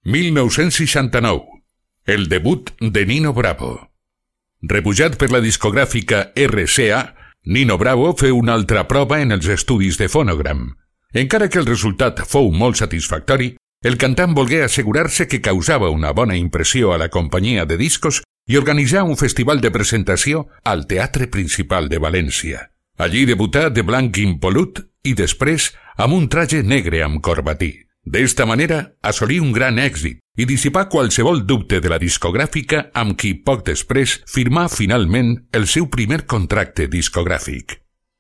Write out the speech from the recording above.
1969. El debut de Nino Bravo. Rebutjat per la discogràfica RCA, Nino Bravo feu una altra prova en els estudis de Phonogram. Encara que el resultat fou molt satisfactori, el cantant volgué assegurar-se que causava una bona impressió a la companyia de discos i organitzar un festival de presentació al Teatre Principal de València. Allí debutà de blanc impolut i després amb un traje negre amb corbatí. D'esta manera assolí un gran èxit i dissipà qualsevol dubte de la discogràfica amb qui poc després firmà finalment el seu primer contracte discogràfic.